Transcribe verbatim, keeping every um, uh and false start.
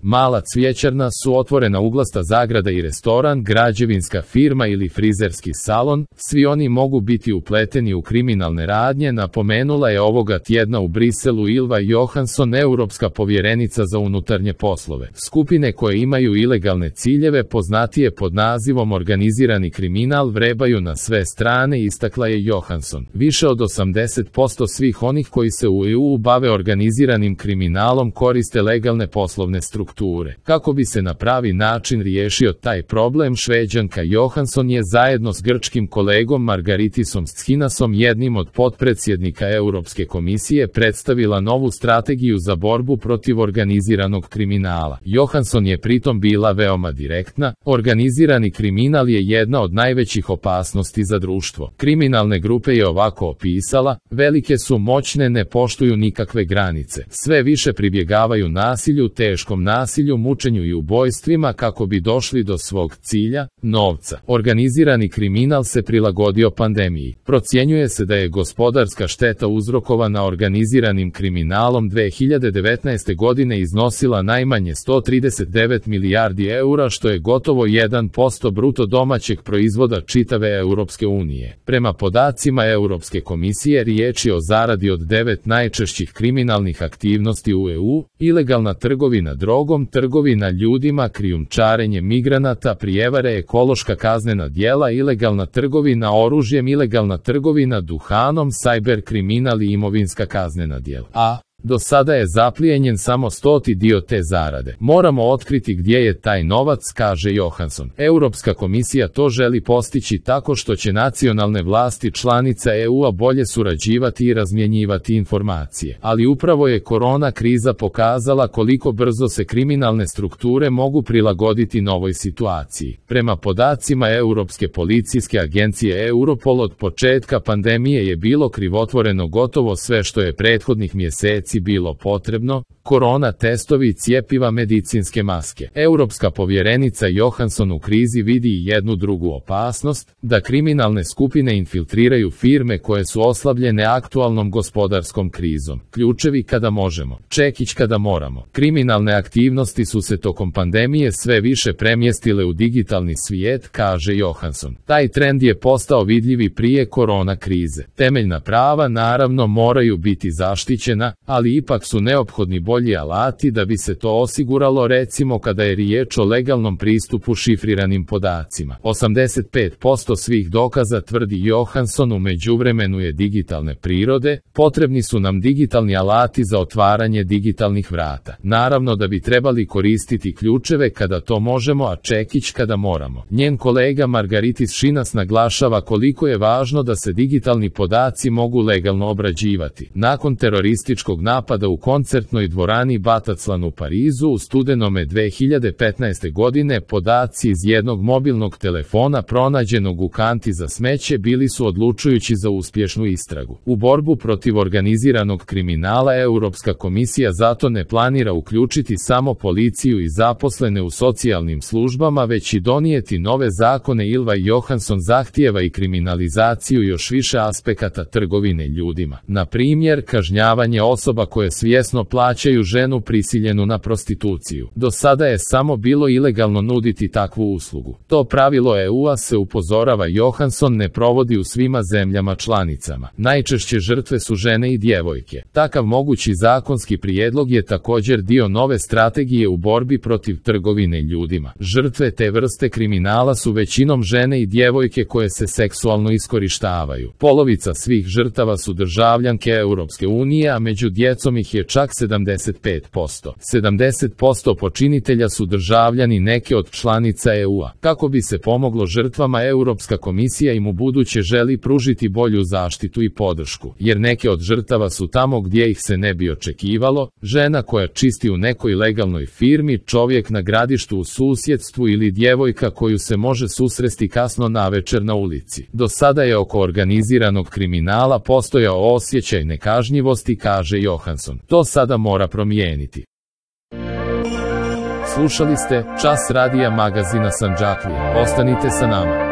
Mala cvjećarna, suotvorena uglasta zagrada i restoran, građevinska firma ili frizerski salon, svi oni mogu biti upleteni u kriminalne radnje, napomenula je ovoga tjedna u Briselu Ylva Johansson, europska povjerenica za unutarnje poslove. Skupine koje imaju ilegalne ciljeve, poznatije pod nazivom organizirani kriminal, vrebaju na sve strane, istakla je Johansson. Više od osamdeset posto svih onih koji se u E U bave organiziranim kriminalom koriste legalne poslovne strukture. Kako bi se na pravi način riješio taj problem, Šveđanka Johansson je zajedno s grčkim kolegom Margaritisom Schinasom, jednim od potpredsjednika Europske komisije, predstavila novu strategiju za borbu protiv organiziranog kriminala. Johansson je pritom bila veoma direktna: organizirani kriminal je jedna od najvećih opasnosti za društvo. Kriminalne grupe je ovako opisala: velike su, moćne, ne poštuju nikakve granice. Sve više pribjegavaju nasilju, teškom nasilju, mučenju i ubojstvima kako bi došli do svog cilja, novca. Organizirani kriminal se prilagodio pandemiji. Procjenjuje se da je gospodarska šteta uzrokovana organiziranim kriminalom dvije hiljade devetnaeste. godine iznosila najmanje sto trideset devet milijardi eura, što je gotovo jedan posto bruto domaćeg proizvoda čitave Europske unije. Prema podacima Europske komisije, riječ je o zaradi od devet najčešćih kriminalnih aktivnosti u E U: ilegalna trgovina drogom, trgovina ljudima, krijumčarenje migranata, prijevare, ekološka kaznena djela, ilegalna trgovina oružjem, ilegalna trgovina duhanom, sajber kriminal i imovinska kaznena djela. A do sada je zaplijenjen samo stoti dio te zarade. Moramo otkriti gdje je taj novac, kaže Johansson. Europska komisija to želi postići tako što će nacionalne vlasti članica E U-a bolje surađivati i razmjenjivati informacije. Ali upravo je korona kriza pokazala koliko brzo se kriminalne strukture mogu prilagoditi novoj situaciji. Prema podacima Europske policijske agencije Europol, od početka pandemije je bilo krivotvoreno gotovo sve što je prethodnih mjeseci bilo potrebno: korona testovi, cjepiva, medicinske maske. Europska povjerenica Johansson u krizi vidi i jednu drugu opasnost: da kriminalne skupine infiltriraju firme koje su oslabljene aktualnom gospodarskom krizom. Ključevi kada možemo, čekić kada moramo. Kriminalne aktivnosti su se tokom pandemije sve više premjestile u digitalni svijet, kaže Johansson. Taj trend je postao vidljiv i prije korona krize. Temeljna prava naravno moraju biti zaštićena, ali ipak su neophodni bolji alati da bi se to osiguralo, recimo kada je riječ o legalnom pristupu šifriranim podacima. osamdeset pet posto svih dokaza, tvrdi Johansson, u međuvremenu je digitalne prirode. Potrebni su nam digitalni alati za otvaranje digitalnih vrata. Naravno da bi trebali koristiti ključeve kada to možemo, a čekić kada moramo. Njen kolega Margaritis Schinas naglašava koliko je važno da se digitalni podaci mogu legalno obrađivati. Nakon terorističkog napada u koncertnoj dvorani Bataclan u Parizu u studenome dvije hiljade petnaeste. godine, podaci iz jednog mobilnog telefona pronađenog u kanti za smeće bili su odlučujući za uspješnu istragu. U borbu protiv organiziranog kriminala Europska komisija zato ne planira uključiti samo policiju i zaposlene u socijalnim službama, već i donijeti nove zakone. Ylva Johansson zahtijeva i kriminalizaciju još više aspekata trgovine ljudima. Na primjer, kažnjavanje osoba koje svjesno plaćaju ženu prisiljenu na prostituciju. Do sada je samo bilo ilegalno nuditi takvu uslugu. To pravilo E U-a, se upozorava Johansson, ne provodi u svima zemljama članicama. Najčešće žrtve su žene i djevojke. Takav mogući zakonski prijedlog je također dio nove strategije u borbi protiv trgovine ljudima. Žrtve te vrste kriminala su većinom žene i djevojke koje se seksualno iskorištavaju. Polovica svih žrtava su državljanke Europske unije, a među djecom ih je čak sedamdeset pet posto. sedamdeset posto počinitelja su državljani neke od članica E U-a. Kako bi se pomoglo žrtvama, Europska komisija im ubuduće želi pružiti bolju zaštitu i podršku, jer neke od žrtava su tamo gdje ih se ne bi očekivalo: žena koja čisti u nekoj legalnoj firmi, čovjek na gradištu u susjedstvu ili djevojka koju se može susresti kasno navečer na ulici. Do sada je oko organiziranog kriminala postojao osjećaj nekažnjivosti, kaže Johansson. To sada mora promijeniti. Slušali ste Čas radija magazina Sandžaklija. Ostanite sa nama.